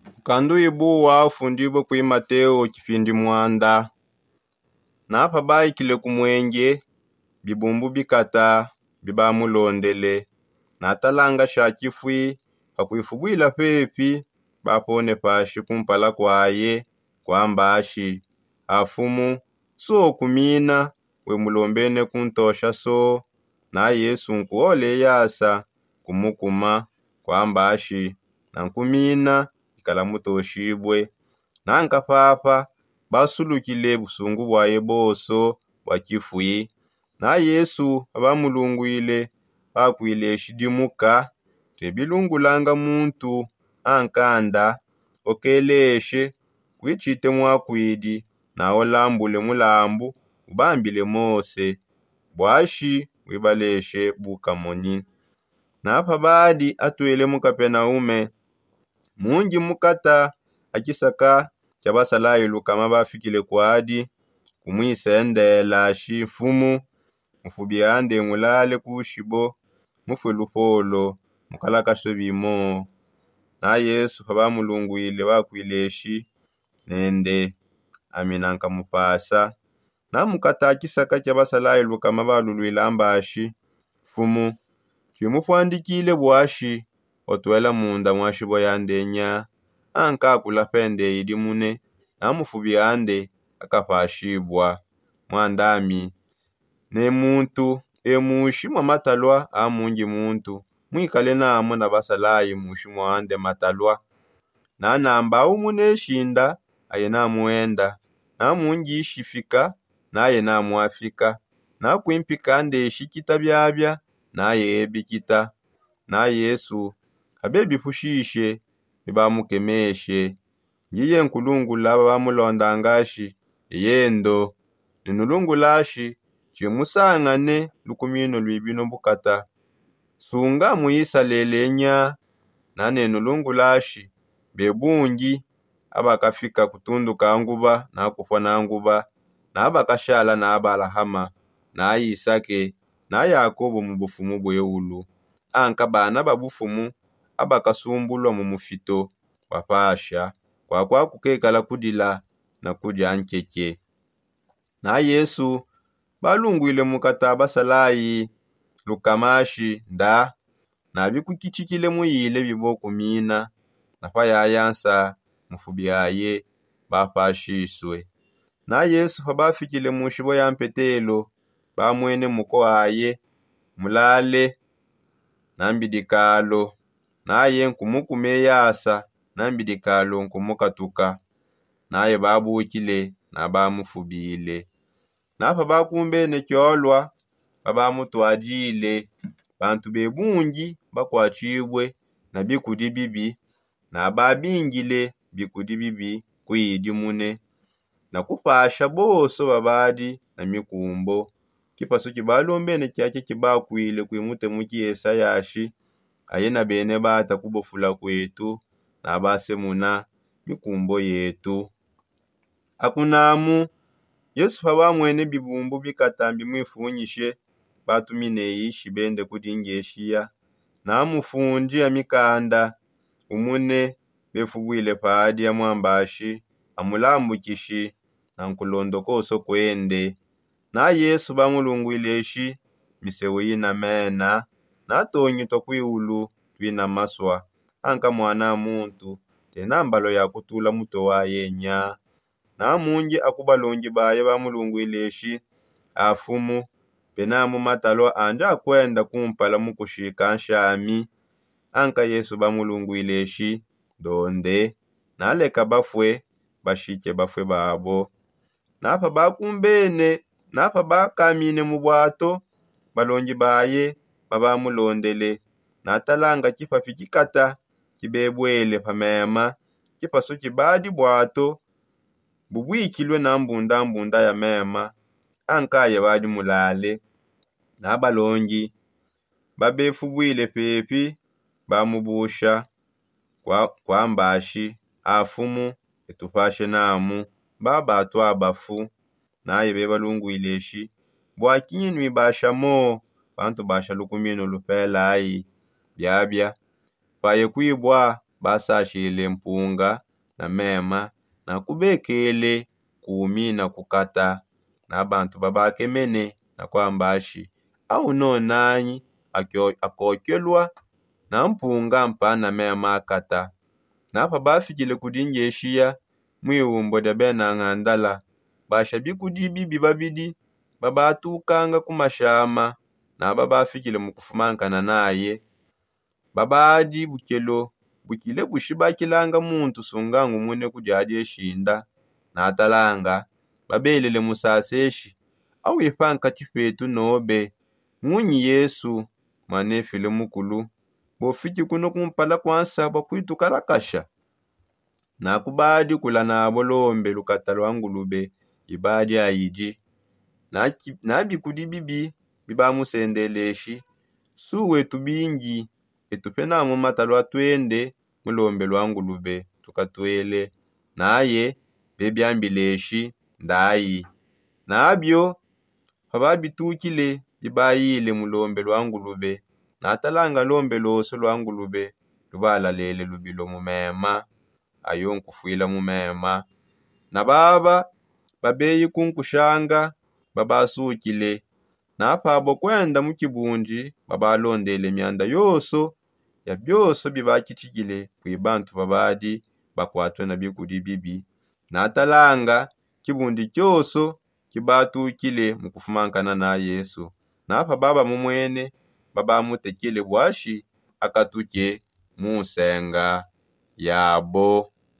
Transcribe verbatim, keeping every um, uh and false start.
Mukandu ibu wafundibue kui mateo kipindi muanda. Napa baikile ku muenge, bibumbu bikata bibamulondele. Natalanga sha kifui, pakuifubuila pepi, bapone pashi kumpala kuaye, kuamba ashi: Afumu, sokumina, we mulombene kuntosha so. Na yesu nkuole yasa kumukuma, kuamba ashi: Nankumina, ikala mutoshibue. Nanka papa basulukile busungu buaye bonso bua kifui. Na yesu pabamulunguile, bakuile shidimuka: Tuebilungulanga muntu ankanda, okeleshe kuitshite muakuidi, na olambule mulambu ubambile mose, buashi wibaleshe bukamonyi. Napa badi atuele mu kapenaume, mungi mukata akisaka kia basalayi lukama bafikile kuadi, kumuisendela ashi: Mfumu, mufubi ande ngulale kushibo, mufue lupolo, mukalakasue bimo. Na yesu pabamulunguile bakuile eshi: Nende ami nankamupasa. Na mukata kisaka kia basalayi lukama baluluila mbashi: Mfumu, tshimupuandikile buashi otuela munda mua shibo yande nya? Ankakula pende idimune, na mufubi ande akapashibua. Muandami, ne muntu emushi mua matalua a mungi muntu, muikale namu na basalayi mushi muande matalua. Na namba aumune shinda aye namuenda, na mungi ishifika naye namuafika, na kuimpika nde shikita biabia naye ebikita. Na yesu abebipushishe, bibamukemeshe. Ndiye nkulungula babamulondangashi: Eyendo, nenulungulashi, tshimusangane lukumino luibino bukata. Sunga mu isalele nya? Na nenulungulashi: Bebungi abakafika kutunduka nguba na kupua na nguba, na bakashala na abalahama, na isake, na yakobo mu bufumu bueulu, anka bana ba bufumu abakasumbulua mu mufito bua pasha, kuakua kukekala kudila na kudia nkeke. Na yesu balunguile mukata basalayi lukamashi: Nda nabikukitshikile muyile bibokumina, na payaya nsa mufubi aye bapashisue. Na yesu pabafikile mu nshibo ya mpetelo, bamwene muko aye mulale na mbidikalo, naye nkumukuma eyasa na mbidikalo nkumukatuka. Naye babukile na bamufubile. Na pabakumbene kiolua, pabamutuadile, bantu bebungi bakuatshibue na bikudi bibi, na babingile bikudi bibi kuidi mune, na kupasha bonso babadi na mikumbo. Kipasu kibalombene kiakia kibakuile kui mutemu kiesa yashi: Aye na bene bata kubofula kuetu, na basemuna mikumbo yetu. Akunamu, yesu pabamwene bibumbu bikata mbimuifunyishe, batumine ishi bende kudi ngeshiya. Na mufundi a mikanda umune befubuile padi amuambashi, amulambukishi, na nkulondo konso kuende. Na yesu bamulunguile eshi: Miseu ina mena, na tongi tua kuiulu tuina masua, anka muana a muntu tena mbalo ya kutula mutue waye nya? Na mungi aku balongi baye bamulunguile eshi: Afumu, penamu matalua andi akuenda kumpala mu kushika nshami. Anka yesu bamulunguile eshi: Ndonde, naleka bafue bashike bafue babo. Na pabakumbene, na pabakamine mu buato, balongi baye babamulondele, natalanga kipapi kikata kibebuele pa mema, kipasu kibadi buato bubuikilue na mbundambunda ya mema, ankaye badi mulale. Na balongi babefubuile pepi bamubusha, kuambashi: Afumu, etupashe namu, baba atu abafu. Naye bebalunguile eshi: Bua kinyi nuibasha mo? Bantu basha lukuminu lupelayi. Biabia paye kuibua basashile mpunga na mema, na kubekele kumi na kukata. Na bantu babakemene na kwambashi, au no nanyi akokelwa na mpunga mpa na mema akata? Na pabafikile kudi ngeshiya mwiwumbo dia bena ngandala, basha bikudi bibi babidi babatukanga ku mashama, na babafikile mu kufumankana naye. Babadi bukelo bukile bushibakilanga muntu sungangumune kudi adi eshinda. Natalanga babelele musaseshi, awipa nkati petu nobe ngunyi yesu, mwanefile mukulu, bofiki kuno kumpala kwansa bwa kwitukalakasha. Na kubadi kula nabo lombe lukata lwa ngulube ibadi ayidi. Na bikudi bibi bibamusendeleshi, su wetu bingi etu pena mu matalwa twende mu lombe lwa ngulube tukatwele. Naye bebiambileshi ndayi. Nabio pababitukile bibayile mu lombe lwa ngulube. Natalanga lombe loso lwa ngulube lubalalele lubilo mu mema, ayo nkufwila mu mema. Na baba babeyi kunkushanga babasukile. Na pabo kwenda mu kibundi babalondele mianda yoso ya bioso bibakitikile kwi bantu babadi bakwatwe na bikudi bibi. Natalanga kibundi kioso kibatukile mu kufumankana na yesu. Na pababa mumwene babamutekele bwashi akatuke mu nsenga yabo.